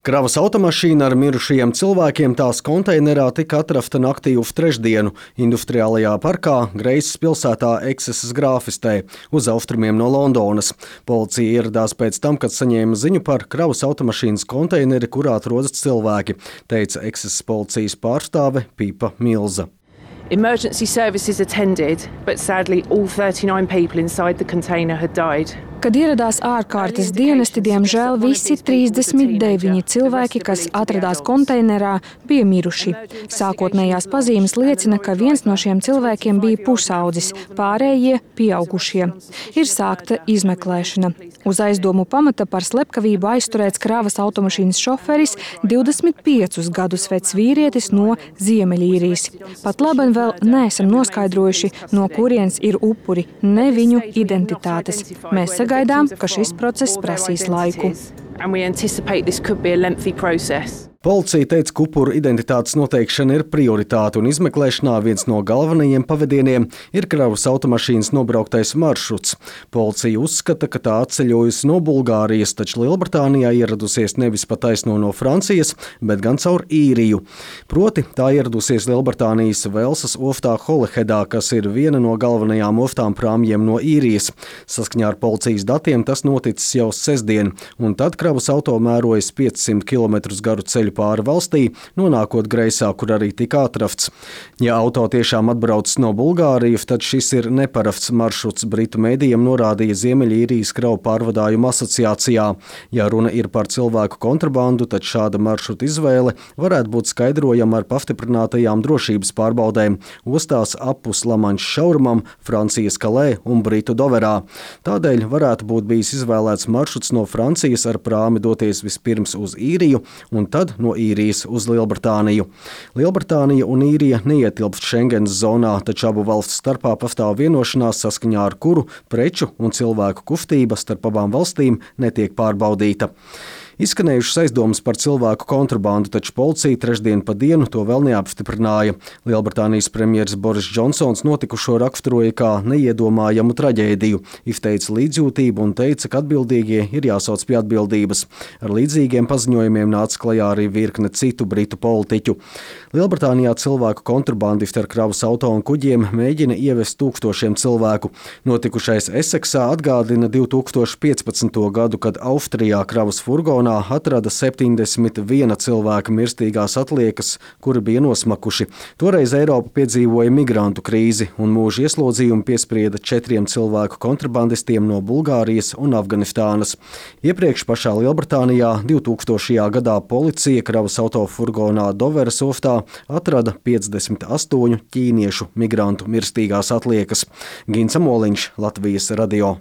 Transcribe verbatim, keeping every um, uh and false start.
Kravas automašīna ar mirušajiem cilvēkiem tās konteinerā tika atrasta naktī uz trešdienu industriālajā parkā Greisas pilsētā Eksesas grāfistē uz austrumiem no Londonas. Policija ieradās pēc tam, kad saņēma ziņu par kravas automašīnas konteineri, kurā atrodas cilvēki, teica Eksesas policijas pārstāve Pipa Milza. Emergency services attended, but sadly all thirty-nine people inside the container had died. Kad ieradās ārkārtas dienesti, diemžēl visi trīsdesmit deviņi cilvēki, kas atradās konteinerā, bija miruši. Sākotnējās pazīmes liecina, ka viens no šiem cilvēkiem bija pusaudzis, pārējie pieaugušie. Ir sākta izmeklēšana. Uz aizdomu pamata par slepkavību aizturēts kravas automašīnas šoferis, divdesmit piecus gadus vecs vīrietis no Ziemeļīrijas. Pat labi vēl neesam noskaidrojuši, no kurienes ir upuri, ne viņu identitātes. Mēs sagaidām, ka šis process prasīs laiku. Policija teica, ka upuru identitātes noteikšana ir prioritāte un izmeklēšanā viens no galvenajiem pavadieniem ir kravas automašīnas nobrauktais maršruts. Policija uzskata, ka tā atceļojusi no Bulgārijas, taču Lielbritānijā ieradusies nevis pa taisno no Francijas, bet gan caur Īriju. Proti, tā ieradusies Lielbritānijas Velsas oftā Holyheadā, kas ir viena no galvenajām oftām prāmjiem no Īrijas. Saskaņā ar policijas datiem tas noticis jau sestdien, un tad kravas auto mērojas piecsimt kilometrus garu ceļu pāri valstī, nonākot Greisā, kur arī tika atrasts. Ja auto tiešām atbraucis no Bulgārijas, tad šis ir neparasts maršruts, britu mēdījiem norādīja Ziemeļīrijas kravu pārvadājumu asociācijā. Ja runa ir par cilvēku kontrabandu, tad šāda maršruta izvēle varētu būt skaidrojama ar pastiprinātajām drošības pārbaudēm ostās apus Lamanšas šaurumam, Francijas Kalē un Britu Doverā. Tādēļ varētu būt bijis izvēlēts maršruts no Francijas ar prāmi doties vispirms uz Īriju un tad no Īrijas uz Lielbritāniju. Lielbritānija un Īrija neietilpst Schengenas zonā, taču abu valstu starpā pastāv vienošanās, saskaņā ar kuru preču un cilvēku kustība starp abām valstīm netiek pārbaudīta. Izskanējušas aizdomas par cilvēku kontrabandu, taču policija trešdien pa dienu to vēl neapstiprināja. Lielbritānijas premjeras Boris Džonsons notikušo raksturoja kā neiedomājamu traģēdiju, izteica līdzjūtību un teica, ka atbildīgie ir jāsauc pie atbildības. Ar līdzīgiem paziņojumiem nāca klajā arī virkne citu britu politiķu. Lielbritānijā cilvēku kontrabandisti ar kravas auto un kuģiem mēģina ievest tūkstošiem cilvēku. Notikušais Eseksā atgādina divi tūkstoši piecpadsmito gadu, kad Austrijā kravas furgonā atrada septiņdesmit viena cilvēka mirstīgās atliekas, kuri bija nosmakuši. Toreiz Eiropa piedzīvoja migrantu krīzi un mūža ieslodzījumu piesprieda četriem cilvēku kontrabandistiem no Bulgārijas un Afganistānas. Iepriekš pašā Lielbritānijā divtūkstošajā gadā policija kravas auto furgonā Doveras ostā atrada piecdesmit astoņu ķīniešu migrantu mirstīgās atliekas. Gins Amoliņš, Latvijas radio.